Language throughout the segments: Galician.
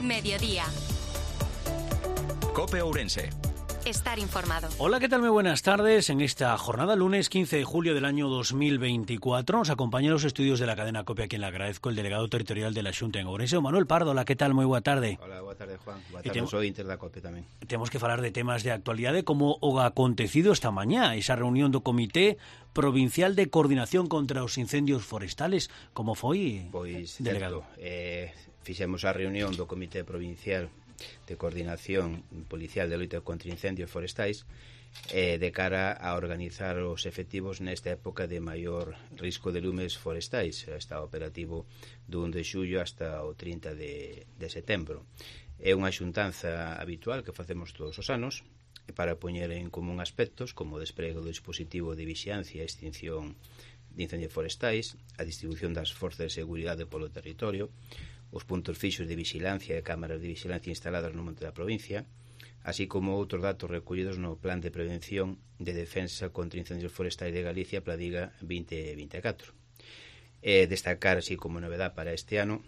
Mediodía. COPE Ourense. Estar informado. Hola, ¿qué tal? Muy buenas tardes. En esta jornada, lunes 15 de julio del año 2024, nos acompaña en los estudios de la cadena COPE, a quien le agradezco, el delegado territorial de la Xunta en Ourense, Manuel Pardo. Hola, ¿qué tal? Muy buena tarde. Hola, boa tarde, Juan. Boa tarde, soy Inter da COPE tamén. Temos que falar de temas de actualidade, como o acontecido esta mañá, esa reunión do Comité Provincial de Coordinación contra os Incendios Forestales. Como foi, pois, delegado? Fixemos a reunión do Comité Provincial de Coordinación Policial de Loita contra Incendios Forestais de cara a organizar os efectivos nesta época de maior risco de lumes forestais. Está operativo do 1 de xullo hasta o 30 de setembro. É unha xuntanza habitual que facemos todos os anos para poñer en común aspectos como o despregue do dispositivo de vixiancia e extinción de incendios forestais, a distribución das forzas de seguridade polo territorio, os puntos fixos de vigilancia e cámaras de vigilancia instaladas no monte da provincia, así como outros datos recollidos no Plan de Prevención de Defensa contra Incendios Forestais de Galicia, Pladiga 2024. Destacar, así como novedad para este ano,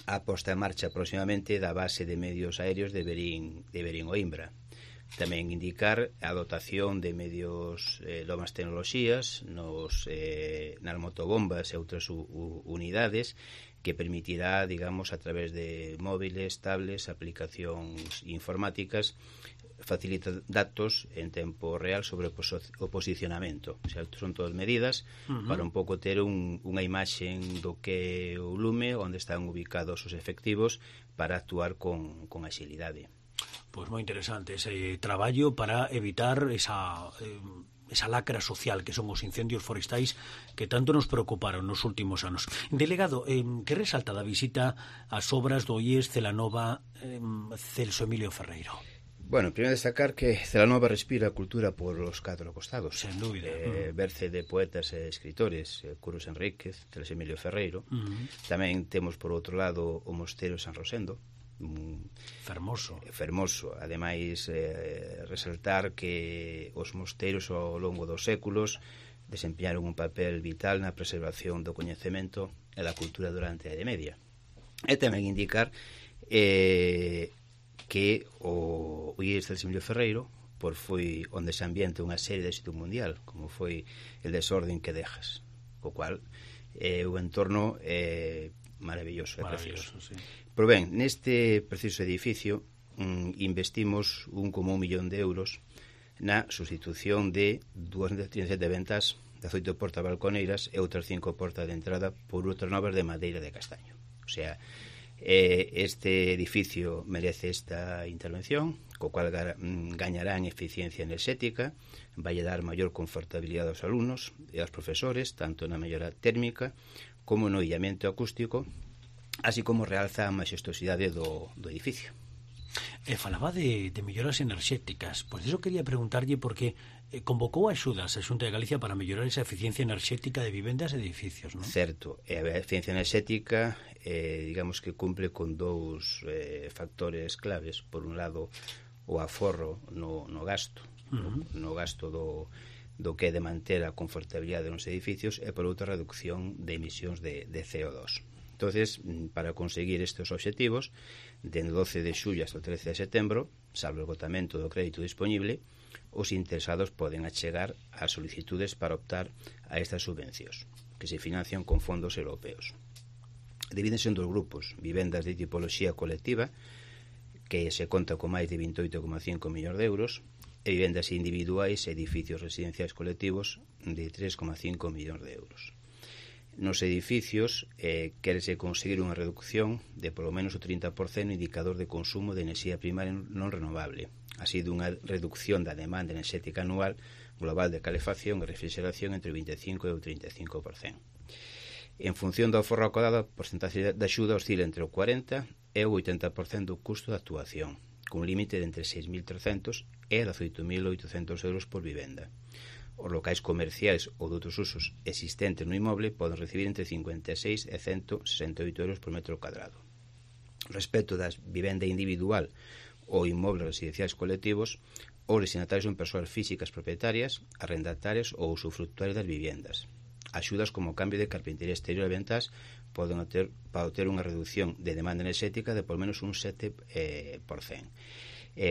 a posta en marcha próximamente da base de medios aéreos de Berín o Imbra. Tamén indicar a dotación de medios novas tecnoloxías nas motobombas e outras unidades que permitirá, digamos, a través de móviles, tablets, aplicacións informáticas, facilitar datos en tempo real sobre o posicionamento. O sea, son todas medidas para un pouco ter unha imaxe do que o lume, onde están ubicados os efectivos, para actuar con axilidade. Pois moi interesante ese traballo para evitar esa lacra social que son os incendios forestais que tanto nos preocuparon nos últimos anos. Delegado, que resalta da visita ás obras do IES Celanova Celso Emilio Ferreiro? Bueno, primeiro destacar que Celanova respira a cultura por os catro costados. Sen dúbida. Berce de poetas e escritores, Curros Enríquez, Celso Emilio Ferreiro. Tamén temos, por outro lado, o Mosteiro San Rosendo, fermoso. Ademais, resaltar que os mosteiros ao longo dos séculos desempeñaron un papel vital na preservación do coñecemento e da cultura durante a Idade Media. E tamén indicar que o IES Celso Emilio Ferreiro foi onde se ambienta unha serie de éxito mundial, como foi El desorden que dejas, co cual o entorno maravilloso e precioso. Sí. Pero ben, neste preciso edificio investimos 1,1 millón de euros na sustitución de 237 ventas de 8 portas balconeiras e outras 5 portas de entrada por outras novas de madeira de castaño. O sea, este edificio merece esta intervención, co cual gañará en eficiencia enerxética, vai dar maior confortabilidade aos alumnos e aos profesores, tanto na mellora térmica como no illamento acústico, así como realza a maxestosidade do edificio. Falaba de melloras enerxéticas. Pois iso quería preguntarlle porque convocou axudas a Xunta de Galicia para mellorar esa eficiencia enerxética de vivendas e edificios, non? Certo, e a eficiencia enerxética digamos que cumple con dous factores claves. Por un lado, o aforro no gasto, no gasto do que é de manter a confortabilidade nos edificios, e por outra, reducción de emisións de CO2. Entonces, para conseguir estes obxectivos, dende 12 de xullo hasta o 13 de setembro, salvo o esgotamento do crédito disponible, os interesados poden achegar as solicitudes para optar a estas subvencións, que se financian con fondos europeos. Divídense en dos grupos: vivendas de tipoloxía colectiva, que se conta con máis de 28,5 millóns de euros, e vivendas individuais e edificios residenciais colectivos de 3,5 millóns de euros. Nos edificios quérese conseguir unha reducción de polo menos o 30% no indicador de consumo de enerxía primaria non renovable, así dunha reducción da demanda enerxética anual global de calefacción e refrigeración entre o 25 e o 35%. En función do aforro acordado, a porcentaxe de axuda oscila entre o 40 e o 80% do custo de actuación, cun límite de entre 6.300 e 18.800 euros por vivenda. Os locais comerciais ou de outros usos existentes no inmoble poden recibir entre 56 e 168 euros por metro cuadrado. Respecto das vivenda individual ou inmobles residenciais colectivos, os destinatarios son persoas físicas propietarias, arrendatarias ou usufructuarias das viviendas. Axudas como cambio de carpintería exterior e ventas poden obter unha reducción de demanda enerxética de por menos un 7%.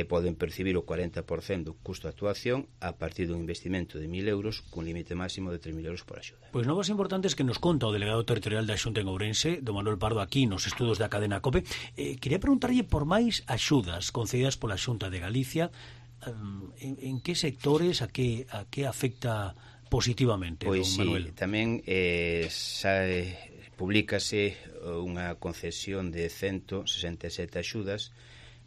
Poden percibir o 40% do custo de actuación a partir dun investimento de 1.000 euros cun límite máximo de 3.000 euros por axuda. Pois novas importantes que nos conta o delegado territorial da Xunta en Ourense, do Manuel Pardo, aquí nos estudos da cadena COPE. Quería preguntarlle por máis axudas concedidas pola Xunta de Galicia. En que sectores, a que afecta positivamente, pois don Manuel? Sí, tamén publícase unha concesión de 167 axudas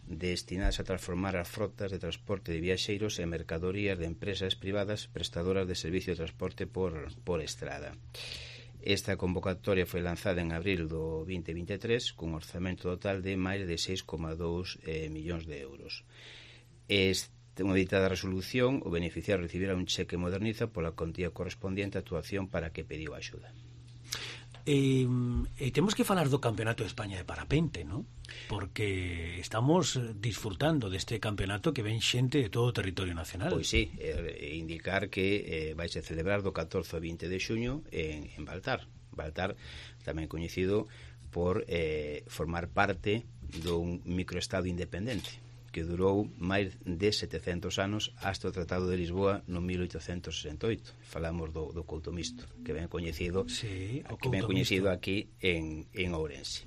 destinadas a transformar as frotas de transporte de viaxeiros en mercadorías de empresas privadas prestadoras de servicio de transporte por estrada. Esta convocatoria foi lanzada en abril do 2023 cun orzamento total de máis de 6,2 millóns de euros. Unha editada resolución, o beneficiario recibirá un cheque moderniza pola contía correspondiente á actuación para que pediu a axuda. Temos que falar do Campeonato de España de Parapente, ¿no? Porque estamos disfrutando deste campeonato que ven xente de todo o territorio nacional. Pois sí, indicar que vai se celebrar do 14 ao 20 de xuño en Baltar. Baltar tamén coñecido por formar parte dun microestado independente que durou máis de 700 anos hasta o Tratado de Lisboa no 1868. Falamos do Couto Misto, que ben coñecido, sí, aquí en Ourense.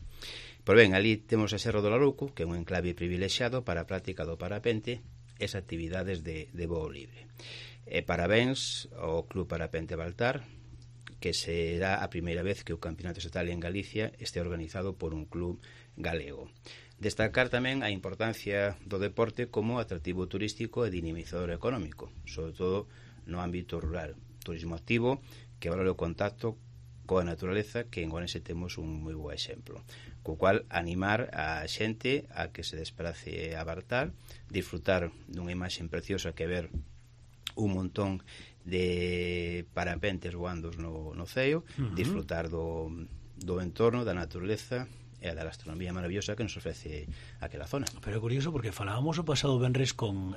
Pois ben, ali temos a Serra do Larouco, que é un enclave privilexiado para a práctica do parapente e as actividades de voo libre. Parabéns ao Club Parapente Baltar, que será a primeira vez que o Campeonato Estatal en Galicia este organizado por un club galego. Destacar tamén a importancia do deporte como atractivo turístico e dinamizador económico, sobre todo no ámbito rural. Turismo activo que valora o contacto coa naturaleza, que en Ourense temos un moi bo exemplo. Co cual, animar a xente a que se desprace a Baltar, disfrutar dunha imaxe preciosa que ver un montón de parapentes voando no ceo, disfrutar do entorno, da naturaleza e da gastronomía maravillosa que nos ofrece aquela zona. Pero é curioso porque falábamos o pasado venres con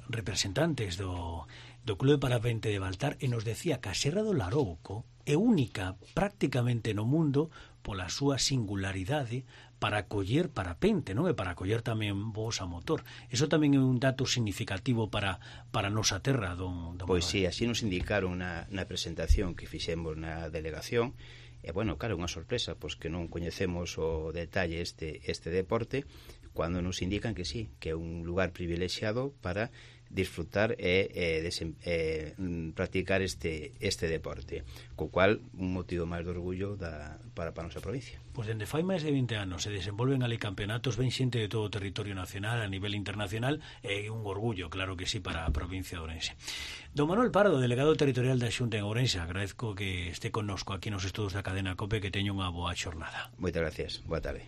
representantes do Club de Parapente de Baltar e nos decía que a Serra do Larouco é única prácticamente no mundo pola súa singularidade para acoller parapente, non? E para acoller tamén voos a motor. Eso tamén é un dato significativo para a nosa terra, don Pois sí, así nos indicaron na presentación que fixemos na delegación. E, bueno, claro, unha sorpresa, pois que non coñecemos o detalle este deporte, cando nos indican que sí, que é un lugar privilexiado para disfrutar e practicar este deporte, co cual un motivo máis de orgullo para a nosa provincia. Pois dende fai máis de 20 anos se desenvolven ali campeonatos, ven xente de todo o territorio nacional a nivel internacional, e un orgullo, claro que sí, para a provincia de Ourense. Don Manuel Pardo, delegado territorial da Xunta en Ourense, agradezco que este connosco aquí nos estudos da cadena COPE, que teño unha boa xornada. Moitas gracias, boa tarde.